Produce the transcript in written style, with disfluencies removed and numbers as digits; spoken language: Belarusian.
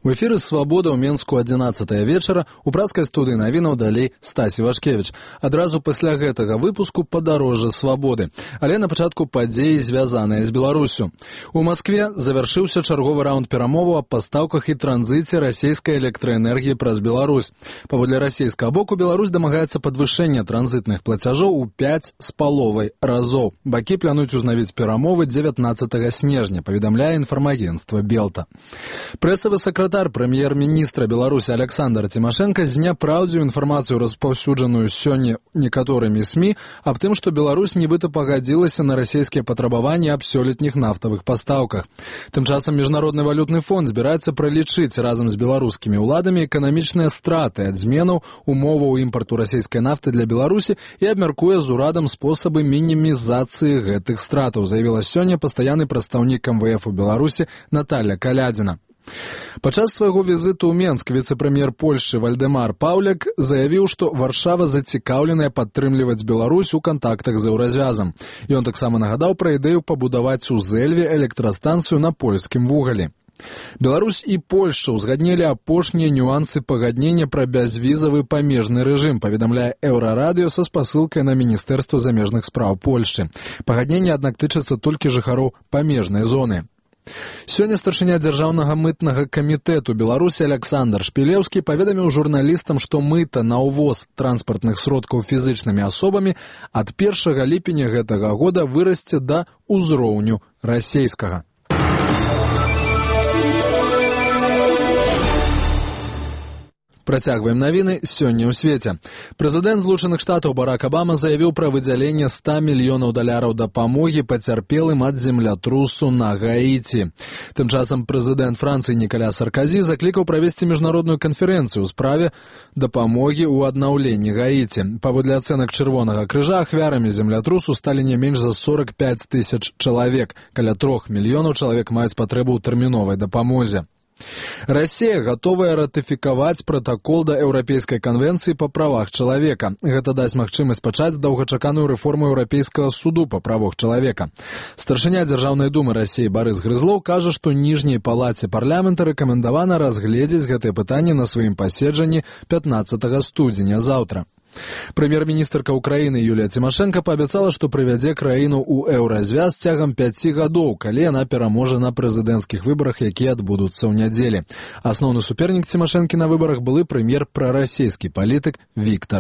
У эфіры «Свабода» ў Менску 11 вечара, у пражскай студыі навінаў далей Стасі Вашкевіч. Адразу пасля гэтага выпуску падарожжа «Свабоды». Але на пачатку падзеі, звязаныя з Беларусю. У Маскве завяршыўся чарговы раунд перамоваў аб пастаўках і транзіце расійскай электраэнергіі праз Беларусь. Паводле расійскага боку, Беларусь дамагаецца падвышэння транзітных плацяжоў у 5,5 разоў. Бакі плануюць узнавіць перамовы 19 снежня, паведамляе інфармагенцтва «Белта». Прэсавы сакратар прэм'ер-міністра Беларусі Александр Тимошенко зняпраўдзіў інфармацыю, распаўсюджаную сёння некаторымі СМІ, аб тым, што Беларусь нібыта пагадзілася на расійскія патрабаванні аб сёлетніх нафтавых пастаўках. Тым часам Міжнародны валютны фонд збіраецца пралічыць разам з беларускімі ўладамі эканамічныя страты ад зменаў умоваў імпарту расійскай нафты для Беларусі і абмяркуе з урадам спосабы мінімізацыі гэтых стратаў, заявіла сёння пастаянны прадстаўнік МВФ у Беларусі Наталья Калядзіна. Падчас свайго візіту ў Менск віцэ-прэм'ер Польшчы Вальдэмар Паўляк заявіў, што Варшава зацікаўленая падтрымліваць Беларусь у кантактах з еўразвязам. Ён таксама нагадаў пра ідэю пабудаваць у Зэльве электрастанцыю на польскім вугалі. Беларусь і Польшча ўзгаднілі апошнія нюансы пагаднення пра бязвізавы памежны рэжым, паведамляе Еўрарадыё са спасылкай на Міністэрства замежных спраў Польшчы. Пагадненне, аднак, тычыцца толькі жыхароў памежнай зоны. Сёння старшыня дзяржаўнага мытнага камітэту Беларусі Александр Шпілеўскі паведаміў журналістам, што мыта на ўвоз транспартных сродкаў фізычнымі асобамі ад 1 ліпеня гэтага года вырасце да ўзроўню расейскага. Працягваем навіны сёння ў свеце. Прэзідэнт Злучаных Штатаў Барак Абама заявіў пра выдзяленне $100 мільёнаў дапамогі пацярпелым ад землятрусу на Гаіці. Тым часам прэзідэнт Францыі Нікаля Сарказі заклікаў правесці міжнародную канферэнцыю ў справе дапамогі ў аднаўленні Гаіці. Паводле ацэнак Чырвонага крыжа, ахвярамі землятрусу сталі не менш за 45 тысяч чалавек. Каля 3 мільёнаў чалавек маюць патрэбу ў тэрміновай дапамозе. Расія гатовая ратыфікаваць пратакол да Еўрапейскай канвенцыі па правах чалавека. Гэта дасць магчымасць пачаць доўгачаканую рэформу Еўрапейскага суду па правах чалавека. Старшыня Дзяржаўнай думы Расіі Барыс Грызлоў кажа, што ніжняй палаце парламента рэкамендавана разгледзець гэтае пытанне на сваім паседжанні 15 студзеня заўтра. Прэм'ер-міністрка ўкраіны Юлія Тимошенко паабяцала, што прывядзе краіну ў еўразвяз цягам 5 гадоў, калі яна пераможа на прэзідэнцкіх выбарах, якія адбудуцца ў нядзелі. Асноўны супернік Тимошенкі на выбарах былы прэм'ер прарасійскі палітык Віктор